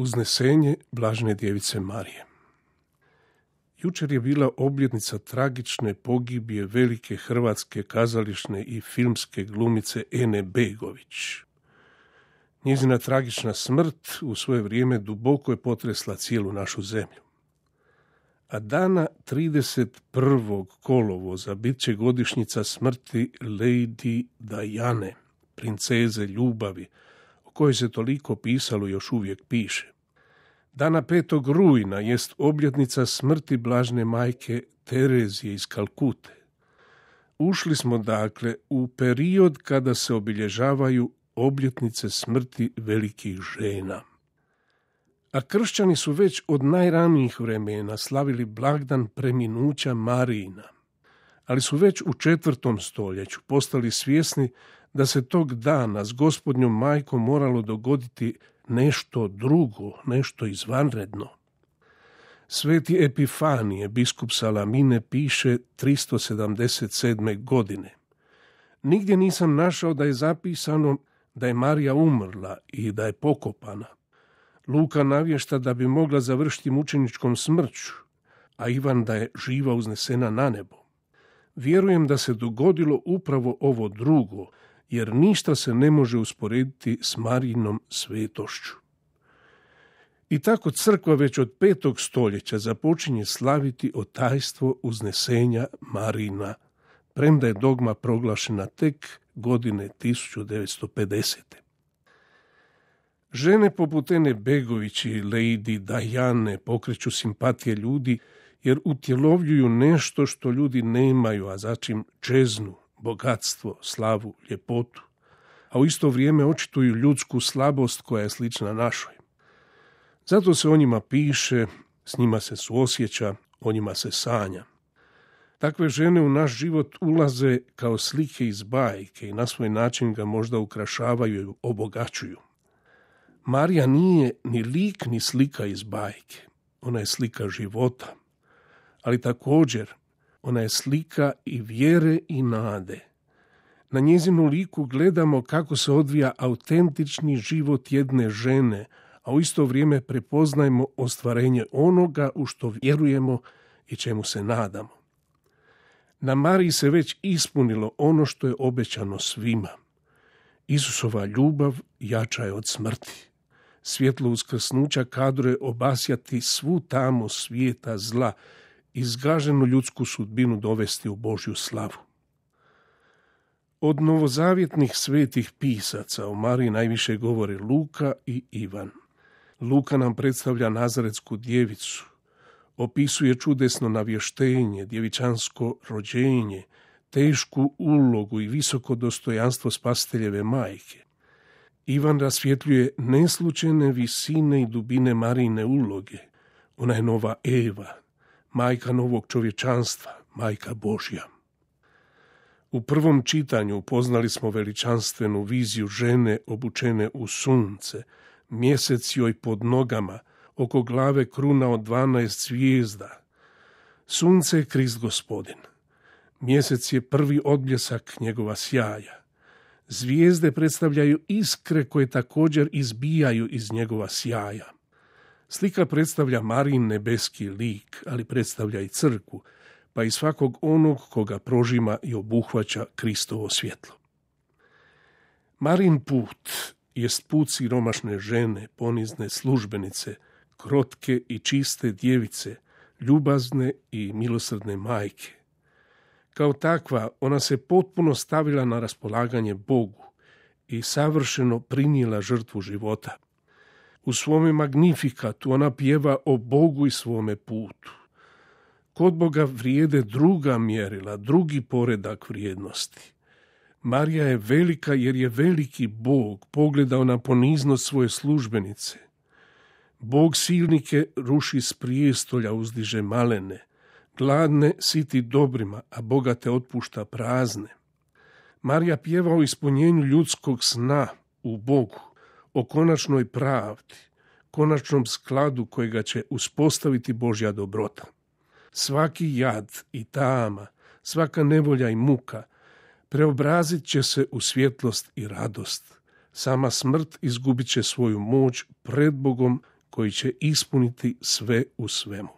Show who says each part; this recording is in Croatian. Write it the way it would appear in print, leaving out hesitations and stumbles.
Speaker 1: Uznesenje blažene djevice Marije. Jučer je bila obljetnica tragične pogibije velike hrvatske kazališne i filmske glumice Ene Begović. Njezina tragična smrt u svoje vrijeme duboko je potresla cijelu našu zemlju. A dana 31. kolovoza bit će godišnjica smrti Lady Diane, princeze ljubavi, o kojoj se toliko pisalo i još uvijek piše. Dana 5. rujna jest obljetnica smrti blažene majke Terezije iz Kalkute. Ušli smo dakle u period kada se obilježavaju obljetnice smrti velikih žena. A kršćani su već od najranijih vremena slavili blagdan preminuća Marijina, ali su već u 4. stoljeću postali svjesni da se tog dana s Gospodnjom majkom moralo dogoditi nešto drugo, nešto izvanredno. Sveti Epifanije, biskup Salamine, piše 377. godine. Nigdje nisam našao da je zapisano da je Marija umrla i da je pokopana. Luka navješta da bi mogla završiti mučeničkom smrću, a Ivan da je živa uznesena na nebo. Vjerujem da se dogodilo upravo ovo drugo, jer ništa se ne može usporediti s Marijinom svetošću. I tako crkva već od 5. stoljeća započinje slaviti otajstvo uznesenja Marijina, premda je dogma proglašena tek godine 1950. Žene poput Ene Begović i Lady Diane pokreću simpatije ljudi jer utjelovljuju nešto što ljudi nemaju, a začim čeznu, bogatstvo, slavu, ljepotu, a u isto vrijeme očituju ljudsku slabost koja je slična našoj. Zato se o njima piše, s njima se suosjeća, o njima se sanja. Takve žene u naš život ulaze kao slike iz bajke i na svoj način ga možda ukrašavaju i obogaćuju. Marija nije ni lik ni slika iz bajke, ona je slika života, ali također ona je slika i vjere i nade. Na njezinu liku gledamo kako se odvija autentični život jedne žene, a u isto vrijeme prepoznajemo ostvarenje onoga u što vjerujemo i čemu se nadamo. Na Mariji se već ispunilo ono što je obećano svima. Isusova ljubav jača je od smrti. Svjetlo uskrsnuća kadro je obasjati svu tamo svijeta zla, izgaženu ljudsku sudbinu dovesti u Božju slavu. Od novozavjetnih svetih pisaca o Mariji najviše govore Luka i Ivan. Luka nam predstavlja nazaretsku djevicu, opisuje čudesno navještenje, djevičansko rođenje, tešku ulogu i visoko dostojanstvo spasiteljeve majke. Ivan rasvjetljuje neslučajne visine i dubine Marijine uloge. Ona je nova Eva, majka novog čovječanstva, majka Božja. U prvom čitanju upoznali smo veličanstvenu viziju žene obučene u sunce, mjesec joj pod nogama, oko glave kruna od 12 zvijezda. Sunce je Krist Gospodin. Mjesec je prvi odbljesak njegova sjaja. Zvijezde predstavljaju iskre koje također izbijaju iz njegova sjaja. Slika predstavlja Marijin nebeski lik, ali predstavlja i crkvu, pa i svakog onog koga prožima i obuhvaća Kristovo svjetlo. Marijin put jest put siromašne žene, ponizne službenice, krotke i čiste djevice, ljubazne i milosrdne majke. Kao takva, ona se potpuno stavila na raspolaganje Bogu i savršeno prinijela žrtvu života. U svome Magnifikatu ona pjeva o Bogu i svome putu. Kod Boga vrijede druga mjerila, drugi poredak vrijednosti. Marija je velika jer je veliki Bog pogledao na poniznost svoje službenice. Bog silnike ruši s prijestolja, uzdiže malene. Gladne siti dobrima, a bogate otpušta prazne. Marija pjeva o ispunjenju ljudskog sna u Bogu, o konačnoj pravdi, konačnom skladu kojega će uspostaviti Božja dobrota. Svaki jad i tama, svaka nevolja i muka preobrazit će se u svjetlost i radost. Sama smrt izgubit će svoju moć pred Bogom koji će ispuniti sve u svemu.